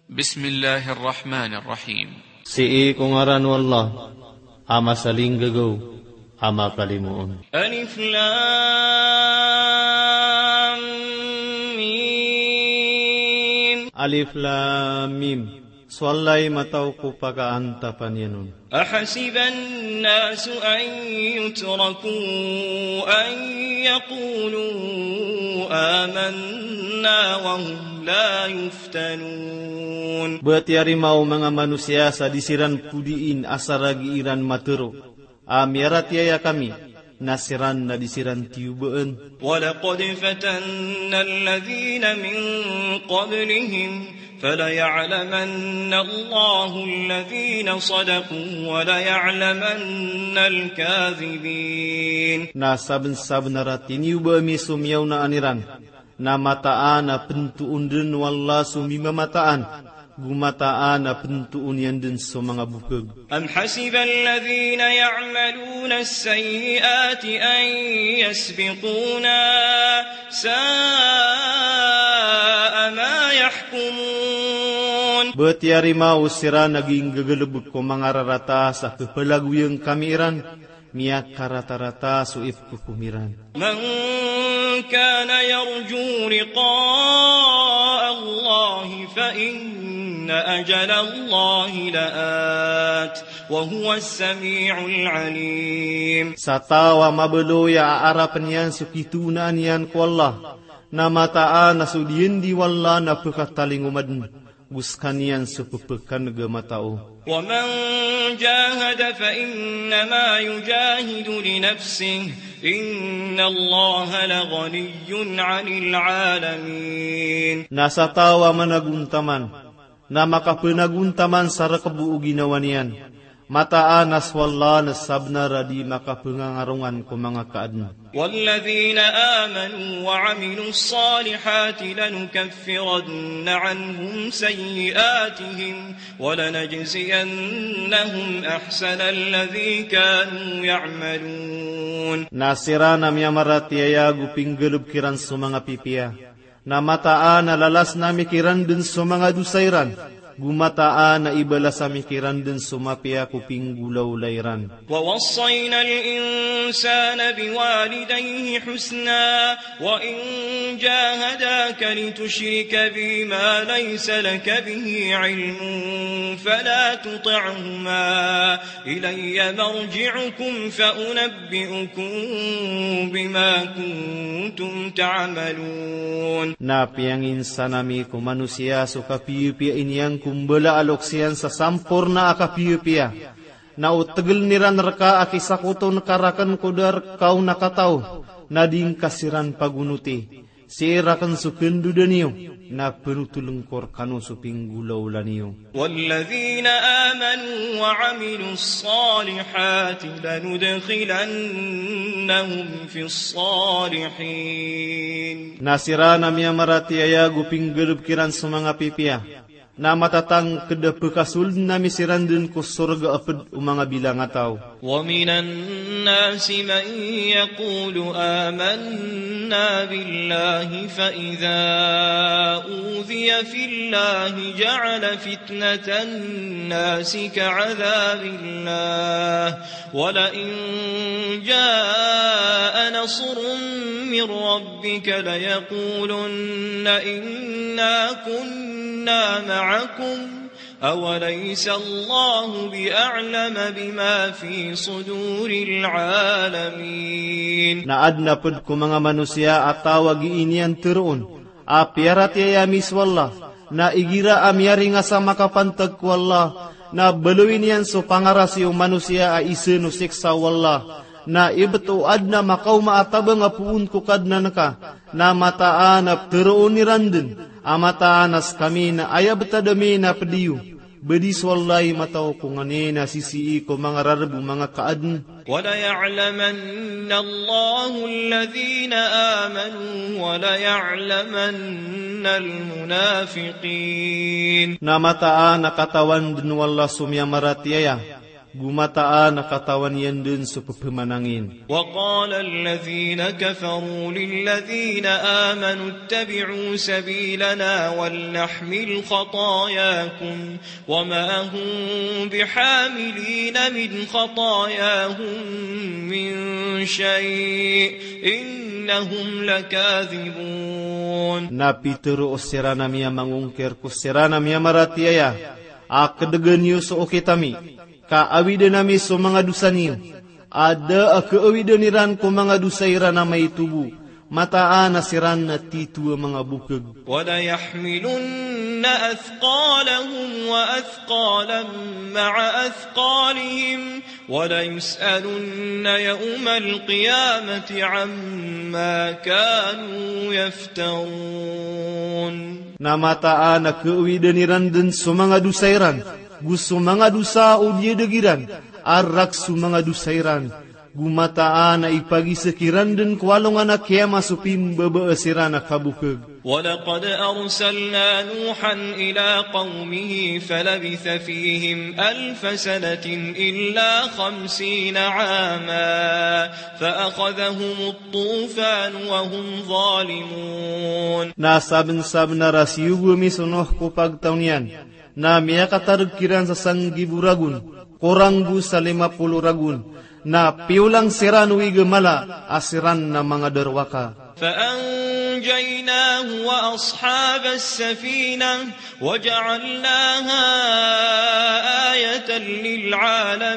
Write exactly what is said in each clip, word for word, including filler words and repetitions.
Bismillahir Rahmanir Rahim. Sii ko ngaran o Allah, a masalinggagaw, a makalimoon. Alif Lam Mim. Alif Lam Mim. So Allah i matao ko pakaantapan iyan on. Ahasiba an-nasu an yutraku an yaqulu amanna wa hum la yuftanun. Ba tiyarima o manga manosiya sa di siran podiin asar a gii ran matero a miyaratiyaya kami, na siran na di siran tiyobaan. Wa laqad fatanna alladhina min qablihim, falaya'lamanna Allahu alladhina sadaqu, wa laya'lamanna al-kadhibin. Na sabensabenar a tiniyoba ami so miyaonaan iran, na mataan a pentoon den o Allah so mimamataan, go mataan a pentoon iyan den so manga bokeg. Am hasiba alladhina ya'maluna as-sayyi'ati an yasbiquna, sa'a ma yahkumun. Ba tiyarima o siran a gii nggagalebek ko manga rarata sa kepelagoyan kami iran, miyakaratarata so ipekhokom iran. Man kana yarju liqa'a Allahi fa inna ajala Allahi la'at, wa huwa as-sami'ul alim. Sa taw a mabaloy a aarapen iyan so kitoonaan iyan ko Allah, na mataan a so diyen di o Allah na pekatalingoma den, go sekaniyan so pepekaneg a matao. Wa man jahada fa innama yujahidu li nafsihi, inna Allaha la ghaniyyun 'anil 'alamin. Na sa taw a managontaman, na makapenagontaman sa rekebo o ginawa niyan, mataan a so Allah na sabenar a di makapengangarongan ko manga kaaden. Walladhina amanu wa 'amilus salihati lanukaffiranna 'anhum sayyi'atihim wa lanajziyannahum ahsanal ladhi kanu ya'malun. Na siran a miyamaratiyaya go pinggalebek iran so manga pipiya, na mataan a lalasn ami kiran den so manga dosa iran, go mataan a ibalas ami kiran den so mapiya ko pinggolawla iran. Wa wassayna al-insana biwalidayhi husna, wa in jahadaka litushrika bi ma laysa laka bihi ilmun fala tuti'huma, ilayya marji'ukum fa unabbi'ukum bima kuntum ta'malun. Na piyanginsan ami ko manosiya so kapiyapiya i niyan ko mbala a loks iyan sa samporna a kapiyapiya. Na o tegelen iran reka a kisakoton ka raken ko da reka on a kataw, na di ngka siran pagonoti. Sii raken so kandoda niyo, na penotolen ko rekano so pinggolawla niyo. Walladhina amanu wa 'amilus salihati lanudkhilannahum fis salihin. Na siran a miyamaratiyaya go pinggalebek iran so manga pipiya, na matatangked a pekasolden ami siran den ko sorga a ped o manga bilangataw. Wa minan nasi man yaqulu amanna billahi fa idha udhiya fillahi ja'ala fitnatan nasi ka'adhabillah, wa la in ja'a nasrun min rabbika layaqulunna inna kunna ma'akum, awalaysa Allahu bi a'lama bima fi suduril alamin. Na aden a ped ko manga manosiya a taw a gii niyan teroon a piyaratiyaya ami so Allah, na igira a miyaringas a makapantag ko Allah, na baloy niyan so pangarasi o manosiya a isen o siksa o Allah, na ibet o aden a makaoma a tabang a poon ko Kadnan ka, na mataan a peteroon iran den a mataan a sekami na aya betad ami na ped iyo. Bedi so Allah i matao ko nganin a sisii ko manga rareb o manga kaaden. Wa laya'lamanna Allahu alladhina amanu wa laya'lamanna al-munafiqin. Na mataan a katawan den o Allah so miyamaratiyaya, Go mataan a katawan iyan dn so pphamanangin. وقال الذين كفروا للذين آمنوا اتبعوا سبيلنا ولنحمل خطاياكم وما هم بحاملين من خطاياهم من شيء إنهم لكاذبون. Na pitharo siran a miyamangongkir ko siran a miyamaratiyaya a kdgn iyo so okit ami, ka awidn ami so manga dosa niyo, a da a kaawidn iran ko manga dosa iran a maito bo, mataan a siran na tito a manga bokg. وليحملن أثقالهم وأثقالا مع أثقالهم وليسألن يوم القيامة عما كانوا يفترون. Na mataan a kaawidn iran dn so manga dosa iran, go so manga dosa o diyadg iran, a rk so manga dosa iran, go mataan a ipagiza kiran dn ko alongan a kiyama so pimbabaas iran a kabokg. ولقد أرسلنا نوحا إلى قومه فلبث فيهم ألف سنة إلا خمسين عاما فأخذهم الطوفان وهم ظالمون. Na sabnsabnar a siyogo ami so Nuh ko pagtaw niyan, na miyakatarg kiran sa sanggibo ragon, korang go sa lima polo ragon, na piyolang siran o igamala a siran na manga darowaka. فأنجيناه وأصحاب السفينة وجعلناها آية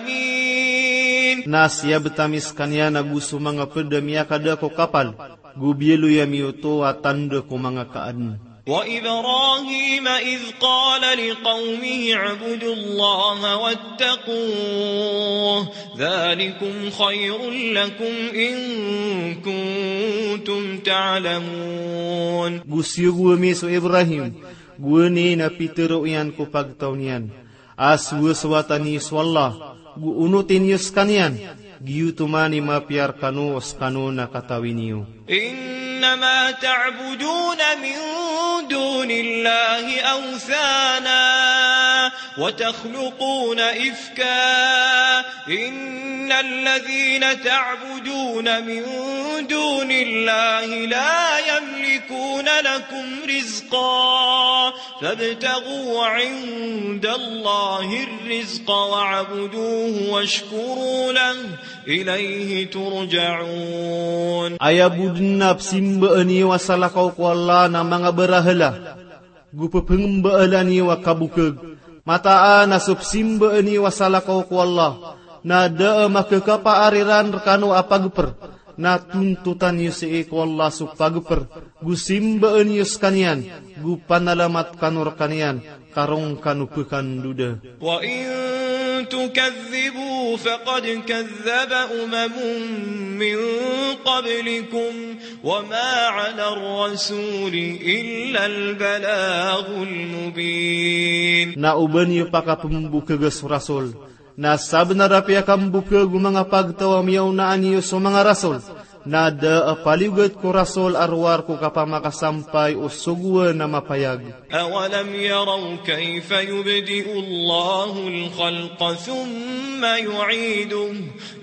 للعالمين. Na siyabt ami skaniyan ago so manga pd a miyakada ko kapal, go biyaloy ami oto a tanda ko manga kaadn. وإبراهيم إذ قال لقومه اعبدوا الله واتقوه ذلكم خير لكم إن كنتم تعلمون. Go siyogo ami so Ibrahim, go aya na pitharo iyan ko pagtaw niyan a sowasowatan iyo so Allah, go onotin iyo skaniyan, giyoto man i mapiya rkano o skano na katawi niyo. إنما تعبدون من دون الله أوثانا وتخلقون إفكا إن الذين تعبدون من دون الله لا يملكون لكم رزقا فابتغوا عند الله الرزق واعبدوه واشكروا له إليه ترجعون. Aya bo dn a psimbaan iyo a salakaw ko Allah na manga barahala, go pphangambaala niyo a kabokg. Mataan a so psimbaan iyo a salakaw ko Allah na da a makakapaar iran rkano a pagpr, na tontotan iyo sii ko Allah so pagpr, go simbaan iyo skaniyan, go panalamat kano rkaniyan, ka roo kano pkandoda. وإن تكذبوا فقد كذب أمم من قبلكم وما على الرسول إلا البلاغ المبين. Na oba niyo pakapmbokga so rasol, na sabnar a piyakambokg o manga pagtaw a miyaona niyo so manga rasol, na da a paliyogat ko rasol a rowar ko kapamakasampay o sogoan a mapayag. أولم يروا كيف يبدئ الله الخلق ثم يعيده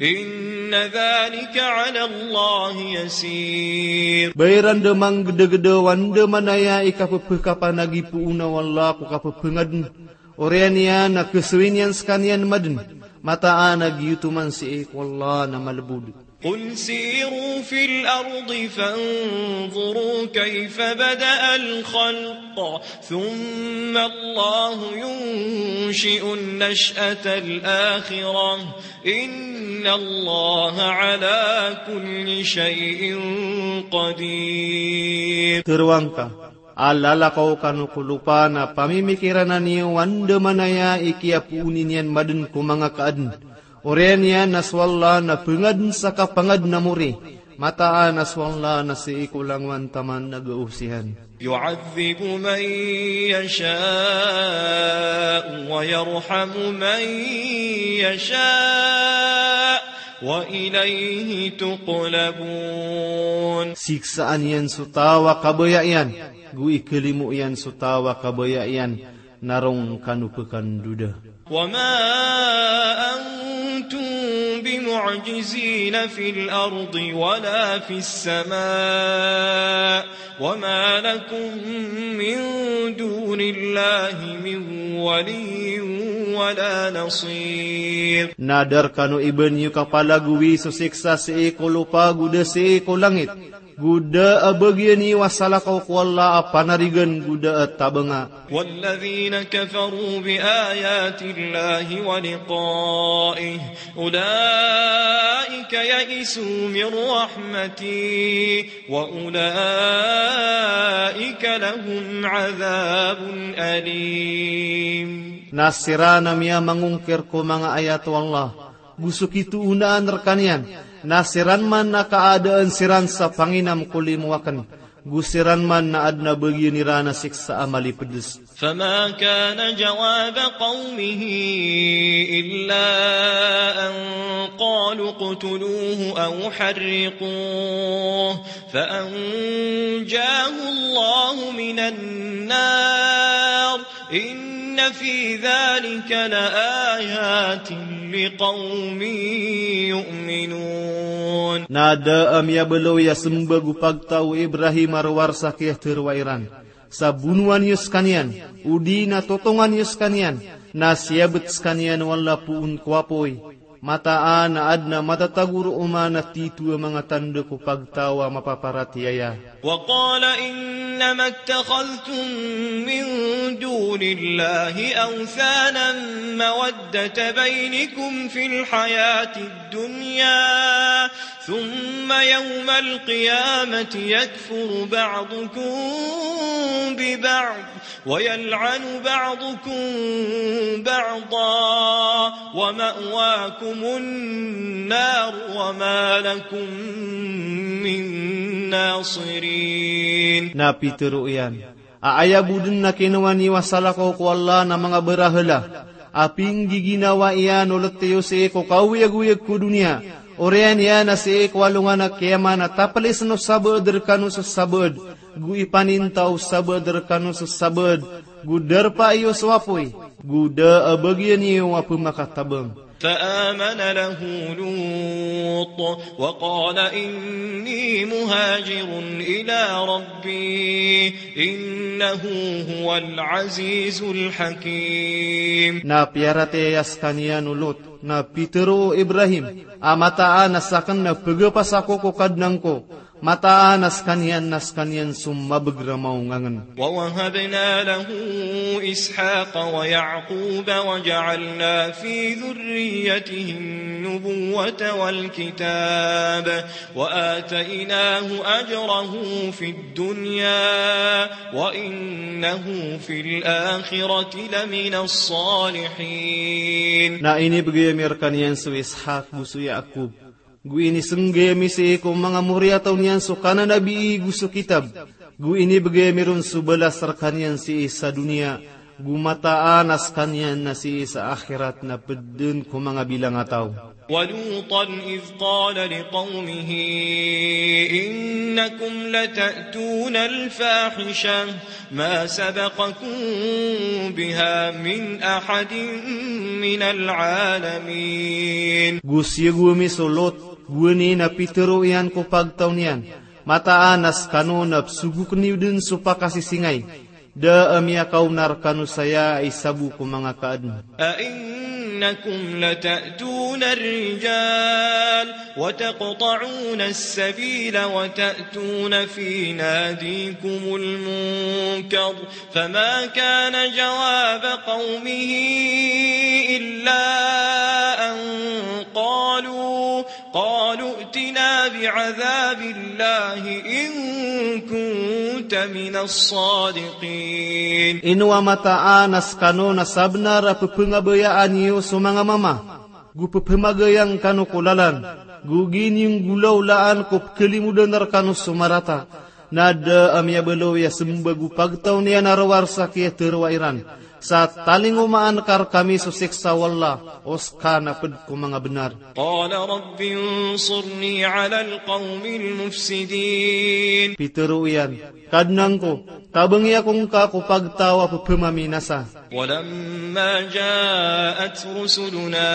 إن ذلك على الله يسير. Ba iran da manggdagda o andamanaya i kappkapanagipoona o Allah ko kappangadn. Oriyan iyan na kasawi niyan skaniyan madn. Mataan a giyoto man sii ko Allah na malbod. قل سيروا في الأرض فانظروا كيف بدأ الخلق ثم الله ينشئ النشأة الآخرة إن الله على كل شيء قدير. Tharoang ka, a lalakaw kano ko lopa na pamimikirana niyo o andamanaya i kiyapooni niyan madn ko manga kaadn. Oriyan iyan na so Allah na pangadn sa kapangadn a mori. Mataan a so Allah na sii ko langowan taman a gaosihan. يعذب من يشاء ويرحم من يشاء وإليه تقلبون. Siksaan iyan so taw a kabaya iyan, go ikalimo iyan so taw a kabaya iyan, na roo kano pkandoda. وما أن معجزين في الأرض ولا في السماء وما لكم من دون الله من ولي ولا نصير. Na da rkano i ba niyo kapalagowi so siksa sii ko lopa go da sii ko langit, go da a bagian iyo a salakaw ko Allah a panarigan go da a tabanga. والذين كفروا بآيات الله ولقائه أولئك يئسوا من رحمتي وأولئك لهم عذاب أليم. Na siran a miyamangongkir ko manga ayat o Allah, go so kitoonaan rkaniyan, na siran man na kaadaan siran sa panginam ko limo aken, go siran man na aden a bagian iran a siksa a malipds. فما كان جواب قومه إلا أن قالوا اقتلوه أو حرقوه فأنجاه الله من النار إن في ذلك لآيات لقوم يؤمنون. Na da a miyabaloy a sembag o pagtaw o Ibrahim a rowar sa kiyatharo iran. Sa bonowan iyo skaniyan, odi na totongan iyo skaniyan, na siyabet skaniyan o Allah poon ko apoy. Mataan a aden a matatago roo man a tito a manga tanda ko pagtaw a mapaparatiyaya. وقال إنما اتخذتم من دون الله أوثانا مودة بينكم في الحياة الدنيا ثم يوم القيامة يكفر بعضكم ببعض ويلعن بعضكم بعضا ومأواكم النار وما لكم من ناصرين. Na pitharo iyan a aya bo den a kinowa niyo a salakaw ko Allah na manga barahala a pinggiginawa iyan o let iyo sii ko kaoyagoyag ko doniya, oriyan iyan a sii ko alongan a kiyamat na taplisen o sabaad rekano so sabaad, go ipaninta o sabaad rekano so sabaad, go darpa iyo so apoy, go da a bagian iyo a pemakatabang. فآمن له لوط وقال إني مهاجر إلى ربي إنه هو العزيز الحكيم. Na piyaratiyaya skaniyan o Lot, na pitharo o Ibrahim a mataan a saken na pegapas ako ko Kadnan ko, mataan a skaniyan na skaniyan so mabeg a maongangen. ووهبنا له إسحاق ويعقوب وجعلنا في ذريته النبوة والكتاب وآتيناه أجره في الدنيا وإنه في الآخرة لمن الصالحين. Na inibegay ami rekaniyan so Ishak go so Yaakub, go inisenggay ami sii ko manga moriyataw niyan so kananabii go so kitab, go inibegay ami ron so balas rekaniyan sii sa doniya, go mataan a skaniyan na sii sa akhirat na ped den ko manga bilang a taw. ولوطا إذ قال لقومه إنكم لتأتون الفاحشة ما سبقكم بها من أحد من العالمين. Go siyogo ami so Lot, gowani na pitharo iyan ko pagtaw niyan, mataan a skano na pesogoken iyo den so pakasisingay, da a miyakaona rekano saya a isa bo ko manga kaaden. أئنكم لتأتون الرجال وتقطعون السبيل وتأتون في ناديكم المنكر فما كان جواب قومه إلا أن قالوا قالوا ائتنا بعذاب الله إن كنت من الصادقين. Ino a mataan a skano na sabenar a pepengabayaan iyo so manga mama, go pepemagayang kano ko lalan, go giniyanggolawlaan ko pekelimodan rekano so marata. Na da a miyabaloy a sembag o pagtaw niyan a rowar sa kiyatharo iran. Sa talingomaan ka rkami so siksa o Allah, o ska na pd ko manga bnar. قال رب انصرني على القوم المفسدين. Pitharo iyan, Kadnan ko, tabangi ako ngka ko pagtaw a ppmaminasa. ولما جاءت رسلنا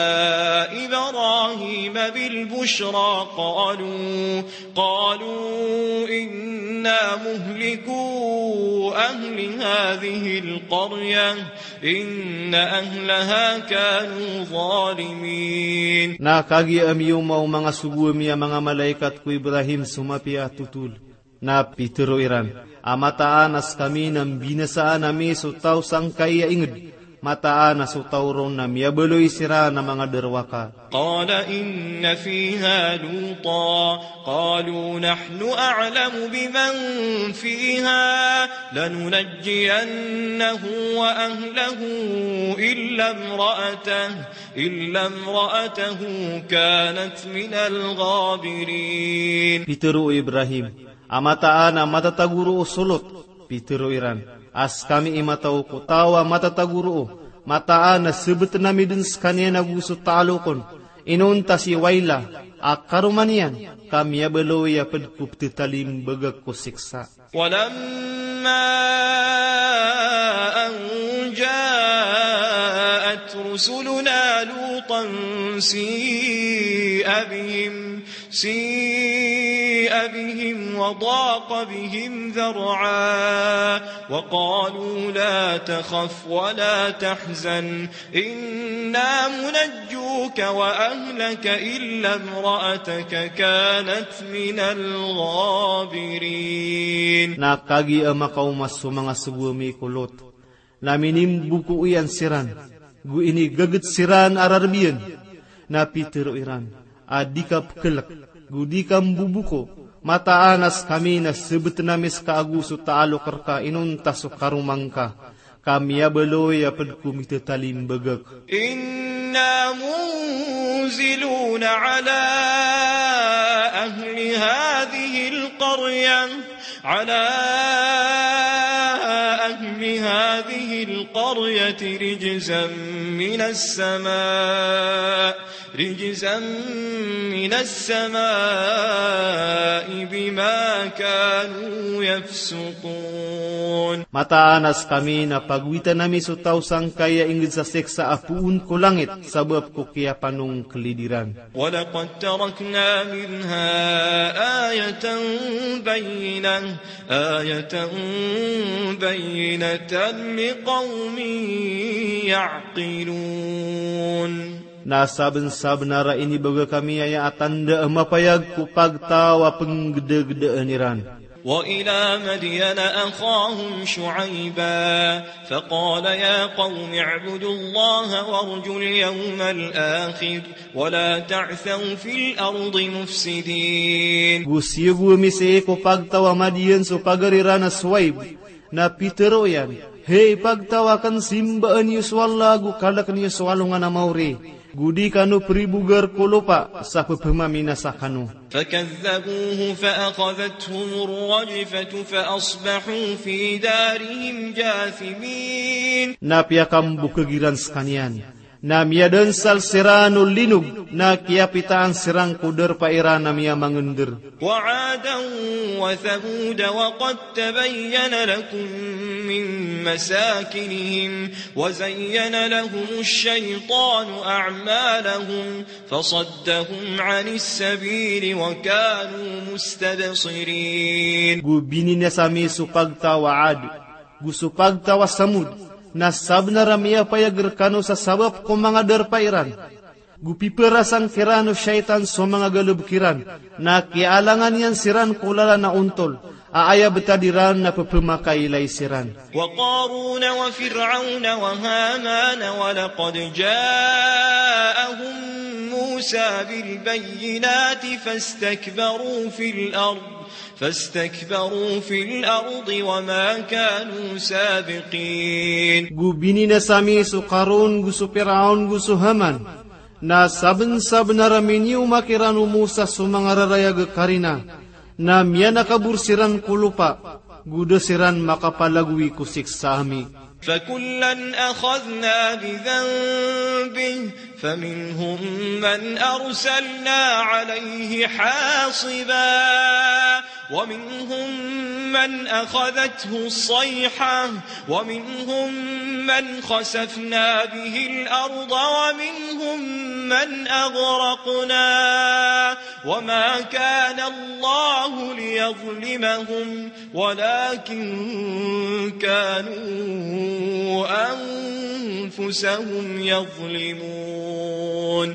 إبراهيم بالبشرى قالوا، قالوا إنا مهلكو أهل هذه القرية إن أهلها كانوا ظالمين. Na kagiya amiyoma o manga sogo ami a manga malaikat ko Ibrahim so mapiya a thotol. Na pitharo iran a mataan a skami na mbinasaan ami so taw sangkai a ingd, mataan a so taw ron na miyabaloy siran a manga darowaka. قال إن فيها لوطا قالوا نحن أعلم بمن فيها لننجينه وأهله إلا امرأته إلا امرأته كانت من الغابرين. Pitharo o Ibrahim a mataan a matatago roo so Lot. Pitharo iran a skami i mataw ko taw a matatago roo, mataan a sbtn ami dn skaniyan ago so talok on, inonta si Waila a karoma niyan, ka miyabaloy a pd ko pthatalmbagak ko siksa. ولما أن جاءت رسلنا لوطا سيء بهم، سيء بهم وضاق بهم ذرعا وقالوا لا تخف ولا تحزن إنا منجوك وأهلك إلا امرأتك كانت من الغابرين. Na kagiya makaoma so manga sogo ami ko Lot, na minimbuko iyan siran, go inigagd siran a rarb iyan. Na pitharo iran a di ka pkhlk, go di ka mboboko, mataan a skami na sbtn ami ska ago so talok rka inonta so karoma ngka, ka miyabaloy a pd ko mithatalimbagak. إنا منزلون على أهل هذه القرية، على أهل هذه القرية رجزا من السماء، رجزا من السماء بما كانوا يفسقون. Mataan a skami na pagowitan ami so taw sangkai a ingd sa siksa a poon ko langit sabap ko kiyapanongklid iran. ولقد تركنا منها آية بينة، آية بينة لقوم يعقلون. Na sabnsabnar a inibagak ami aya a tanda a mapayag ko pagtaw a pnggdagdaan iran. وإلى مدين أخاهم شعيبا فقال يا قوم اعبدوا الله وارجوا اليوم الآخر ولا تعثوا في الأرض مفسدين. Go siyogo ami sii ko pagtaw a Madiyan so pagari ran a Shuaib, na pitharo iyan, "Hay pagtaw akn, simbaa niyo so Allah ago kalk niyo so alongan a maori, go di kano pribogar ko lopa sa ppmaminasa kano." فكذبوه فأخذتهم الرجفة فأصبحوا في دارهم جاثمين. Na piyakambokag iran skaniyan, na miyadansal siran o linog, na kiyapitaan siran ko darpa iran a miyamangndr. وعادا وثمود وقد تبين لكم من مساكنهم وزين لهم الشيطان أعمالهم فصدهم عن السبيل وكانوا مستبصرين. Go bininasa ami so pagtaw a Ad, go so pagtaw a Samud, na sabnar a miyapayag rkano sa sabap ko manga darpa iran. Go piparasang kiran o shaytan so manga galbk iran, na kiyaalangan iyan siran ko lalan a ontol, a aya btad iran na pphamakailay siran. وقارون وفرعون وهامان ولقد جاءهم موسى بالبينات فاستكبروا في الأرض، فاستكبروا في الأرض وما كانوا سابقين. Go bininasa ami so Qarun, go so Firaun, go so Haman. Na sabnsabnar a minioma kiran o Musa so manga rarayag a karina, na miyanakabor siran ko lopa, go da siran makapalagowi ko siksa ami. فكلا أخذنا بذنبه فمنهم من أرسلنا عليه حاصبا ومنهم من أخذته الصيحة ومنهم من خسفنا به الأرض ومنهم من أغرقنا وما كان الله ليظلمهم ولكن كانوا أنفسهم يظلمون.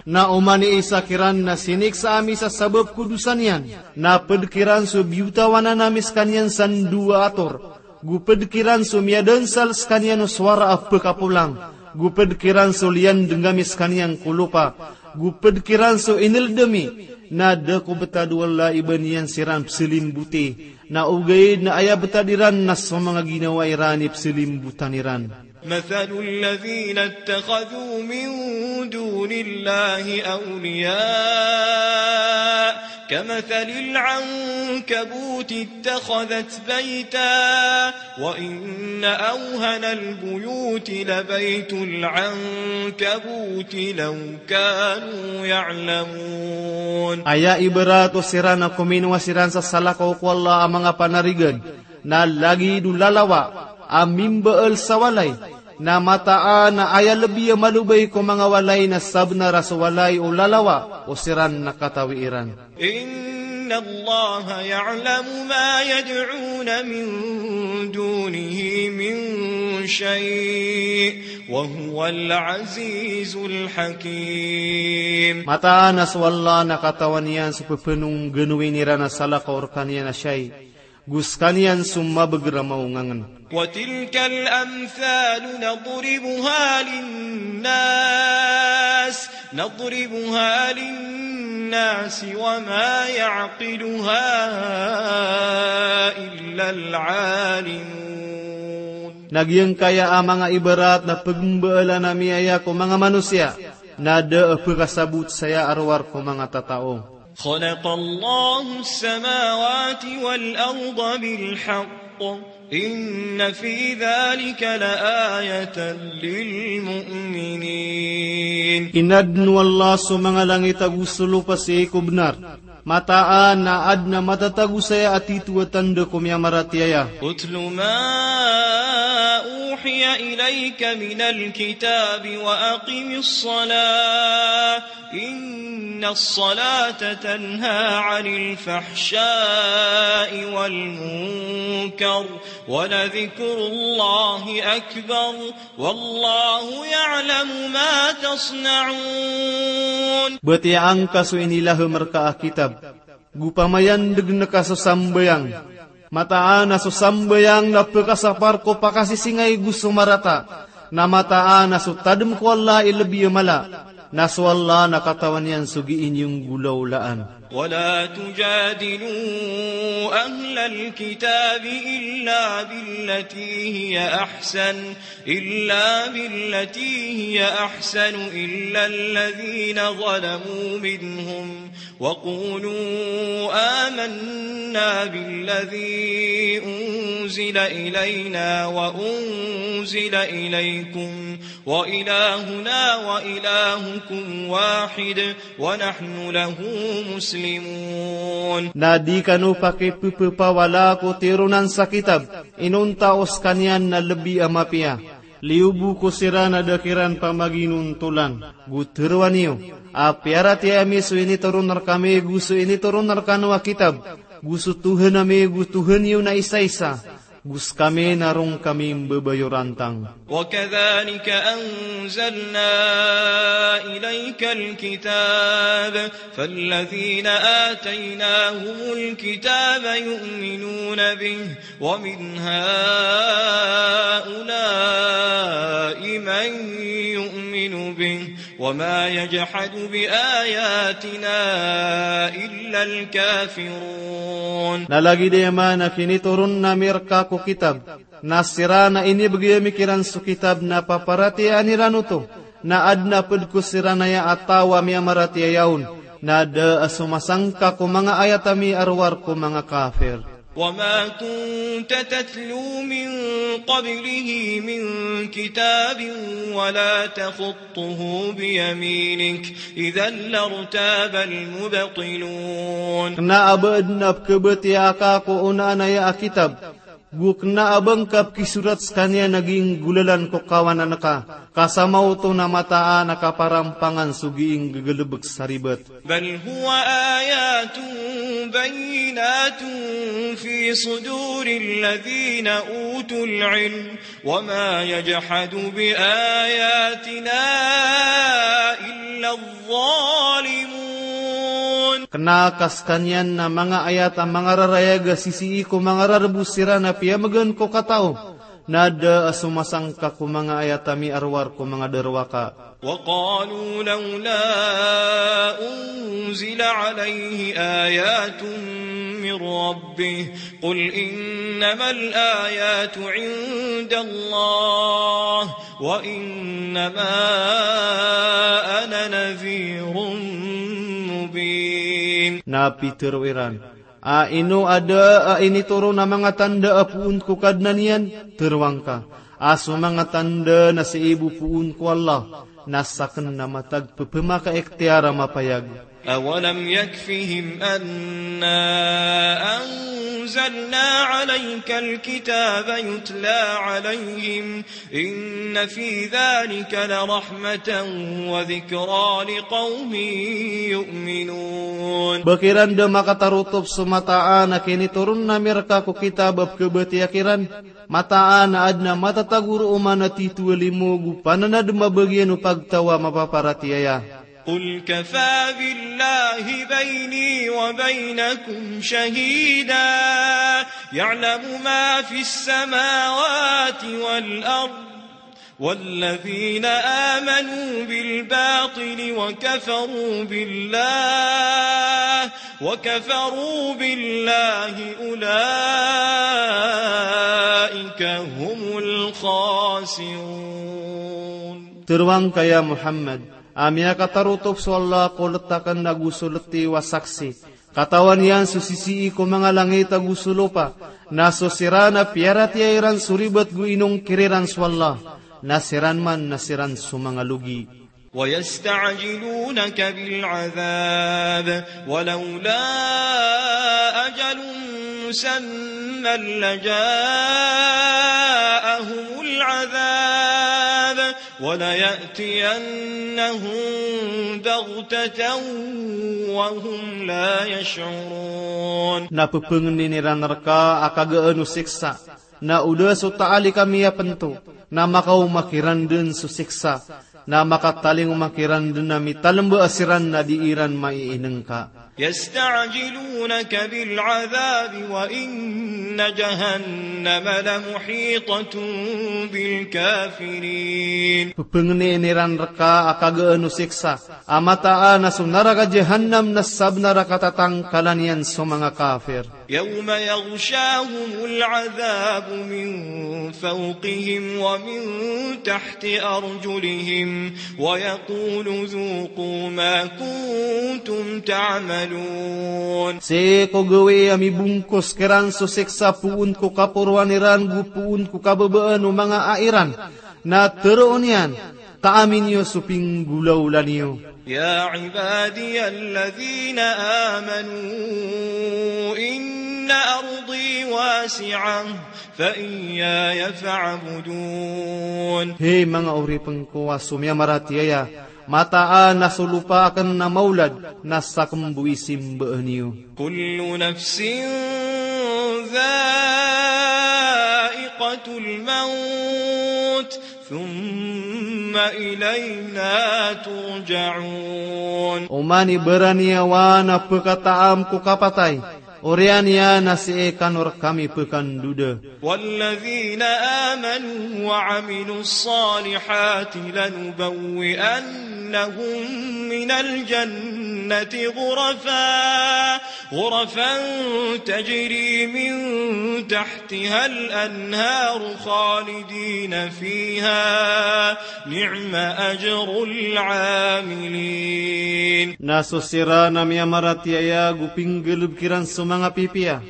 Na oman i isa kiran na siniksa ami sa sabap ko dosa niyan, na pd kiran so biyotawanan ami skaniyan san dowa a tor, go pd kiran so miyadansal skaniyan o sowara a pkapolang, go pd kiran so liyandng ami skaniyan ko lopa, go pd kiran so inld ami, na da ko btad o Allah i ba niyan siran pzalimboti, na ogaid na aya btad iran na so manga ginawa iran i pzalimbotan iran. مثل الذين اتخذوا من دون الله أولياء كمثل العنكبوت اتخذت بيتا وإن أوهن البيوت لبيت العنكبوت لو كانوا يعلمون. Aya ibarat o siran a kominowa siran sa salakaw ko Allah a manga panarigan, na lagid o lalawa a mimbaal sa walay, na mataan a aya lbi a malobay ko manga walay na sabnar a so walay o lalawa o siran na katawi iran. إن الله يعلم ما يدعون من دونه من شيء وهو العزيز الحكيم. Mataan a so Allah na katawan iyan so pphanongganowi iran a salakaw rkaniyan a shay, go skaniyan so mabagr a maongangn. وتلك الأمثال نضربها للناس، نضربها للناس وما يعقلها إلا العالمون. Na giyangkaya a manga ibarat na pgmbaalan ami aya ko manga manosiya, na da a pkasabot saya a rowar ko manga tatao. خلق الله السماوات والأرض بالحق إن في ذلك لآية للمؤمنين. Inadn o Allah so manga langit ago so lopa sii ko bnar. Mataan a adn a matatago saya a tito a tanda ko miyamaratiyaya. اتل ما أوحي إليك من الكتاب وأقم الصلاة إن الصلاة تنهى عن الفحشاء والمنكر ولذكر الله أكبر والله يعلم ما تصنعون. Batiyaa ngka so inilahm rka a kitab, go pamayandgn ka so sambayang. Mataan a so sambayang na pkasapar ko pakasisingay go so marata. Na mataan a so tadm ko Allah i lbi a mala. Na so Allah na katawan iyan so gii niyo nggolawlaan. ولا تجادلوا أهل الكتاب إلا بالتي هي أحسن، إلا بالتي هي أحسن إلا الذين ظلموا منهم وقولوا آمنا بالذي أنزل إلينا وأنزل إليكم وإلهنا وإلهكم واحد ونحن له مسلمون. Na di kano pakippapawala ko tironan sa kitab, inonta o skaniyan na lbi a mapiya. Liyo bo ko siran a da kiran pamaginontolan, go tharoa niyo a piyaratiyaya mi so initoron rkami go so initoron rkano a kitab, go so Tohan ami go Tohan iyo na isaisa, go skami na roo kami mbabayorantang. وكذلك أنزلنا إليك الكتاب فالذين آتيناهم الكتاب يؤمنون به ومن هؤلاء من يؤمن به وما يجحد بآياتنا إلا الكافرون. Na lagid iyan a kinitoron ami rka ko kitab, na siran a inibgay ami kiran so kitab na paparatiyayaan iran oto, na adn a pd ko siran aya a taw a miyamaratiyaya on, na da a somasangka ko manga ayat ami a rowar ko manga kafir. وما كنت تتلو من قبله من كتاب ولا تخطه بيمينك إذا لارتاب المبطلون. Kna a ba adn a pkhabatiyaa ka ko onaan aya a kitab, go kna a ba ngka pkisorat skaniyan a ginggolalan ko kawanan ka, ka sa maoto na mataan a kaparampangan so gii ngggalbk sa ribat. بل هو آيات بينات في صدور الذين أوتوا العلم وما يجحد بآياتنا إلا الظالمون. Kna ka skaniyan na manga ayat a mangararayag a sisii ko manga rarbo siran a piyamgan ko katao, na da a somasangka ko manga ayat a miarowar ko manga darowaka. وقالوا لولا أنزل عليه آيات من ربه قل إنما الآيات عند الله وإنما أنا نذير مبين. Na pitharo iran, a ino a da a initoron a manga tanda a poon ko Kadnan iyan? Tharoang ka a so manga tanda na sii bo poon ko Allah, na sakn na matag pphamakaikhtiyar a mapayag. أولم يكفهم أنا أنزلنا عليك الكتاب يتلى عليهم إن في ذلك لرحمة وذكرى لقوم يؤمنون. Ba kiran da makatarotop so mataan a kinitoron ami rka ko kitab a pkhabatiya kiran, mataan a adn a matatago roo man a titho a limo go pananadm a bagian o pagtaw a mapaparatiyaya. قل كفى بالله بيني وبينكم شهيدا يعلم ما في السماوات والأرض والذين آمنوا بالباطل وكفروا بالله وكفروا بالله أولئك هم الخاسرون. Tharoang ka ya Muhammad, a miyakatarotop so Allah ko let akn ago so letiyo a saksi. Katawan iyan so sisii ko manga langit ago so lopa, na so siran a piyaratiyaya iran so ribat go inongkir iran so Allah, na siran man na siran so manga logi. ويستعجلونك بالعذاب ولولا أجل مسمى لجاءهم العذاب وليأتينهم بغتة وهم لا يشعرون. Na pphangnin iran rka a kagaan o siksa, na o da so taali kami a pnto, na makaoma kiran dn so siksa, na makatalingoma kiran dn a mitalmba siran na di iran maiinngka. يستعجلونك بالعذاب وإن جهنم لمحيطة بالكافرين. Pphangnin iran rka a kagaan o siksa, a mataan a so naraka Jahannam na sabnar a katatangkalan iyan so manga kafir. يوم يغشاهم العذاب من فوقهم ومن تحت أرجلهم ويقول ذوقوا ما كنتم تعملون. Sii ko gawii a mibongkos kiran so siksa poon ko kaporoan iran go poon ko kababaan o manga ai ran, na tharoon iyan, taami niyo so pinggolawla niyo. يا عبادي الذين آمنوا إن أرضي واسعة فإياي فاعبدون. Hay manga oripn ko a so miyamaratiyaya, mataan a so lopa akn na maolad, na sakn bo i simbaan iyo. كل نفس ذائقة الموت ثم إلينا ترجعون. Oman i baraniyawa na pkhataam ko kapatay, oriyan iyan na sii kano rkami pkhandoda. والذين آمنوا وعملوا الصالحات لنبوئنهم من الجنة غرفا غرفا تجري من تحتها الأنهار خالدين فيها نعم أجر العاملين. Na so siran a miyamaratiyaya go pinggalbk iran so manga pipiya,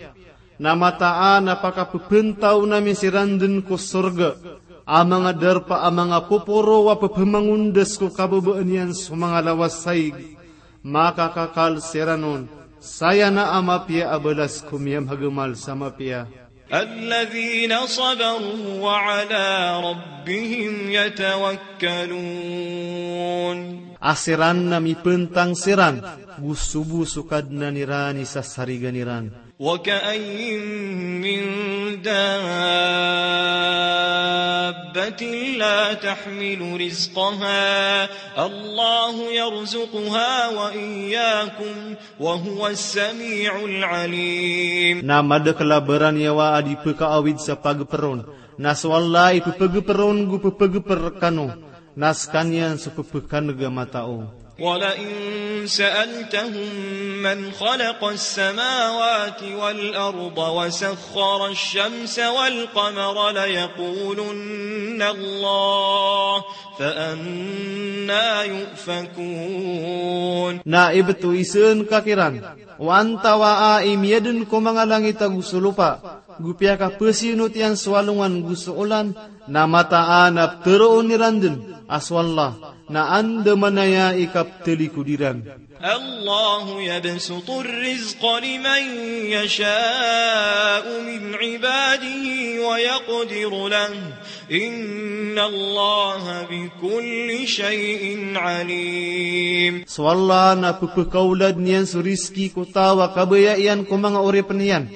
Na mataan a pakapepentaw ami siran den ko sorga a manga darpa a manga poporo a pepemangondas ko kababaan iyan so manga lawas saig. Makakakal siran on, saya na a mapiya a balas ko miyamagamal sa mapiya. الذين صبروا وعلى ربهم يتوكلون. A siran na mipentang siran go so bo so Kadnan iran i sasarigan iran. وكأين من دابة لا تحمل رزقها الله يرزقها وإياكم وهو السميع العليم. Na madakl a baraniyawa a di pekaawid sa pageperon, na so Allah i pepegeperon go pepegeper rekano, na sekaniyan so pepekaneg a matao. ولئن سألتهم من خلق السماوات والأرض وسخر الشمس والقمر ليقولن الله فأنى يؤفكون. Na ibt o iseen ka kiran, o antawaa i miyaden ko manga langit ago so lopa, go piyakapesiyonotiyan so alongan go so olan, na mataan a pteroon iran den a so Allah na andamanaya i kaptelikod iran. الله يبسط الرزق لمن يشاء من عباده ويقدر له إن الله بكل شيء عليم. So Allah na pepekaoladen iyan so rizki ko taw a kabaya iyan ko manga oripen iyan,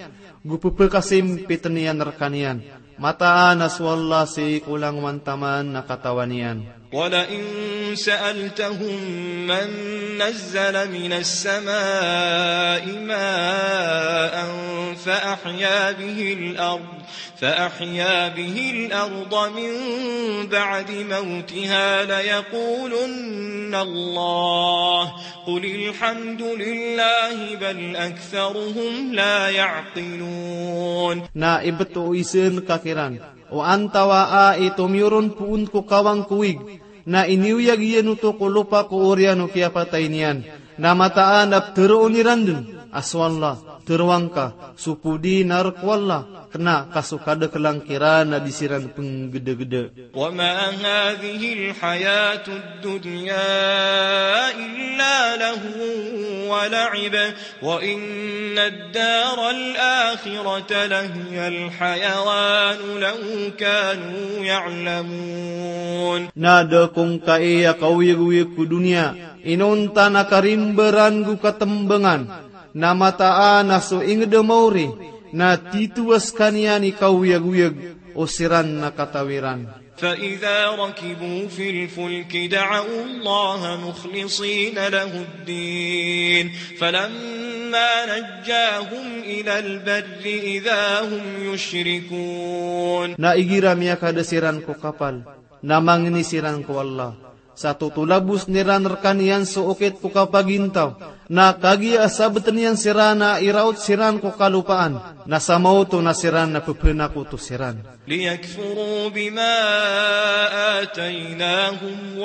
go pepekasimpiten iyan rekaniyan. Mataan a so Allah sii ko langowan taman na katawan iyan. ولئن سألتهم من نزل من السماء ماء فأحيا به الأرض فأحيا به الأرض من بعد موتها ليقولن الله قل الحمد لله بل أكثرهم لا يعقلون. Na ibt o iseen ka kiran, o antawaa i tomiyoron poon ko kawang ko wig, na iniyoyag iyan oto ko lopa ko oriyan o kiyapatay niyan, na mataan a pteroon iran den a so Allah, teroa ngka, so podi na rk o Allah, kena ka so kadaklan kiran a di siran penggedegede. وما هذه الحياة الدنيا إلا لهو ولعب وإن الدار الآخرة لهي الحيوان لو كانوا يعلمون. Na da ko ngkai a kaoyagoyag ko doniya inonta na karimbaran go katembangan, na mataan a so inged a maori na titowa sekaniyan i kaoyagoyag o siran na kataw iran. فإذا ركبوا في الفلك دعوا الله مخلصين له الدين فلما نجاهم إلى البر إذا هم يشركون. Na igira miyakada siran ko kapal, na mangni siran ko Allah, sa totolabosen iran rekaniyan so okit ko kapagintaw, na kagiya a sabeten iyan siran a iraot siran ko kalopaan, na sa maoto na siran na pepenakoto siran. ليكفروا بما آتيناهم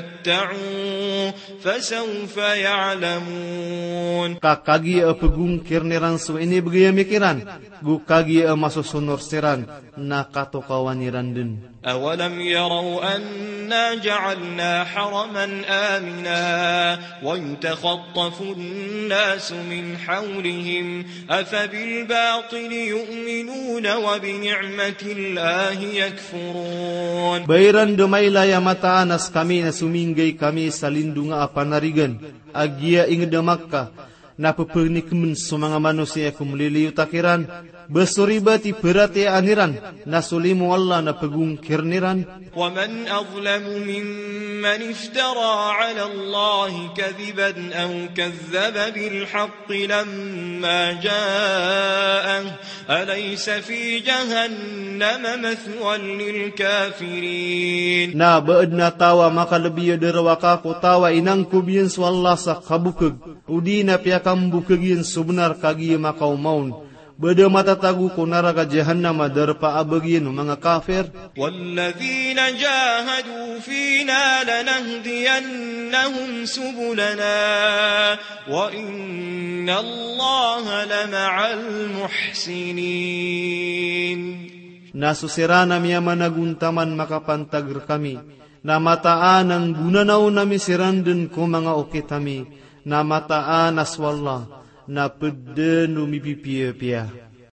وليتمتعوا فسوف يعلمون. Ka kagiya a pegongkiren iran so inibegay ami kiran, go kagiya a masosonor siran, na katokawan iran den. أولم يروا أنا جعلنا حرما آمنا ويتخطف الناس من حولهم أفبالباطل يؤمنون وبنعمة الله يكفرون. Ba iran da mailay a mataan a sekami na sominggay kami sa lindonga a panarigan a giya inged a Makkah, na pepenikemen so manga manosiya ko meliliyot a kiran, ba so ribat i peratiyayaan iran na so limo o Allah na pegongkiren iran. ومن أظلم ممن افترى على الله كذبا أو كذب بالحق لما جاءه أليس في جهنم مثوى للكافرين. Na ba aden a taw a makalebi a darowaka ko taw a inangkob iyan so Allah sa kabokeg, odi na piyakambokeg iyan so benar kagiya makaoma on. Ba da matatago ko naraka jahannam a darpa a bagian o manga kafir. والذين جاهدوا فينا لنهدينهم سبلنا وإن الله لمع المحسنين. Na so siran a miyamanagontaman makapantag rkami, na mataan a nggonanaon ami siran dn ko manga okit ami, na mataan a so Allah na pd dn o mipipiyapiya.